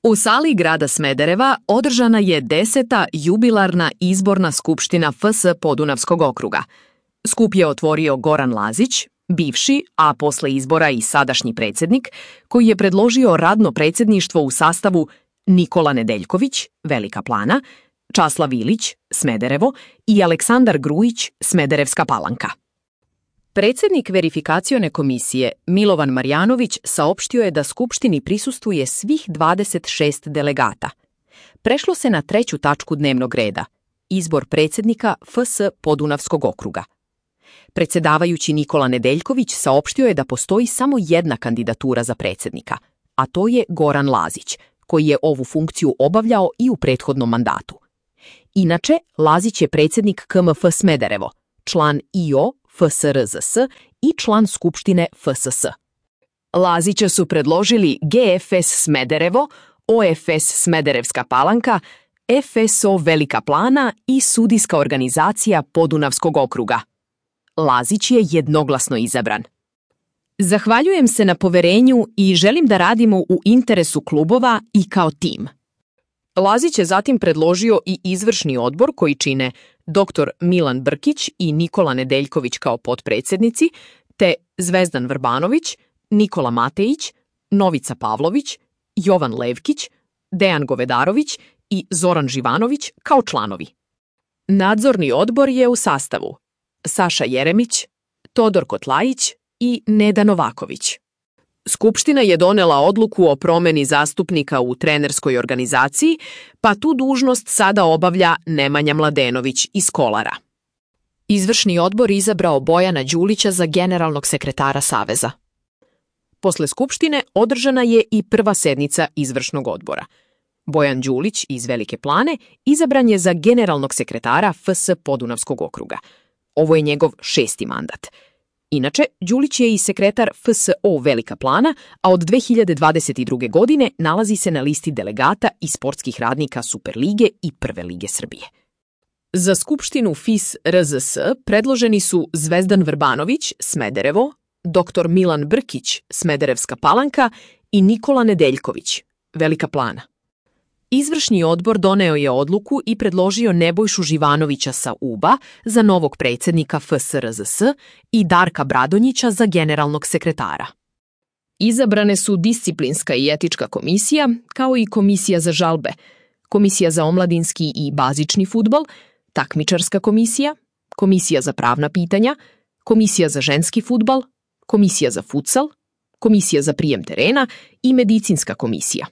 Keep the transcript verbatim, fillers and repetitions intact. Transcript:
U sali grada Smedereva održana je deseta jubilarna izborna skupština F S Podunavskog okruga. Skup je otvorio Goran Lazić, bivši, a posle izbora i sadašnji predsjednik, koji je predložio radno predsjedništvo u sastavu Nikola Nedeljković, Velika Plana, Časlav Ilić, Smederevo i Aleksandar Grujić, Smederevska Palanka. Predsjednik verifikacione komisije Milovan Marjanović saopštio je da skupštini prisustvuje svih dvadeset šest delegata. Prešlo se na treću tačku dnevnog reda, izbor predsjednika F S Podunavskog okruga. Predsjedavajući Nikola Nedeljković saopštio je da postoji samo jedna kandidatura za predsjednika, a to je Goran Lazić, koji je ovu funkciju obavljao i u prethodnom mandatu. Inače, Lazić je predsjednik K M F Smederevo, član I O F S R Z S i član Skupštine F S S. Lazića su predložili G F S Smederevo, O F S Smederevska Palanka, F S O Velika Plana i Sudijska organizacija Podunavskog okruga. Lazić je jednoglasno izabran. Zahvaljujem se na poverenju i želim da radimo u interesu klubova i kao tim. Lazić je zatim predložio i izvršni odbor koji čine dr Milan Brkić i Nikola Nedeljković kao potpredsjednici, te Zvezdan Vrbanović, Nikola Matejić, Novica Pavlović, Jovan Levkić, Dejan Govedarović i Zoran Živanović kao članovi. Nadzorni odbor je u sastavu Saša Jeremić, Todor Kotlajić i Neda Novaković. Skupština je donela odluku o promeni zastupnika u trenerskoj organizaciji, pa tu dužnost sada obavlja Nemanja Mladenović iz Kolara. Izvršni odbor izabrao Bojana Đulića za generalnog sekretara Saveza. Posle Skupštine održana je i prva sednica izvršnog odbora. Bojan Đulić iz Velike Plane izabran je za generalnog sekretara F S Podunavskog okruga. Ovo je njegov šesti mandat. Inače, Đulić je i sekretar F S O Velika Plana, a od dve hiljade dvadeset druge. godine nalazi se na listi delegata i sportskih radnika Superlige i Prve lige Srbije. Za Skupštinu F I S R Z S predloženi su Zvezdan Vrbanović, Smederevo, dr Milan Brkić, Smederevska Palanka i Nikola Nedeljković, Velika Plana. Izvršni odbor doneo je odluku i predložio Nebojšu Živanovića sa U B A za novog predsjednika F S R Z S i Darka Bradonjića za generalnog sekretara. Izabrane su disciplinska i etička komisija, kao i komisija za žalbe, komisija za omladinski i bazični fudbal, takmičarska komisija, komisija za pravna pitanja, komisija za ženski fudbal, komisija za futsal, komisija za prijem terena i medicinska komisija.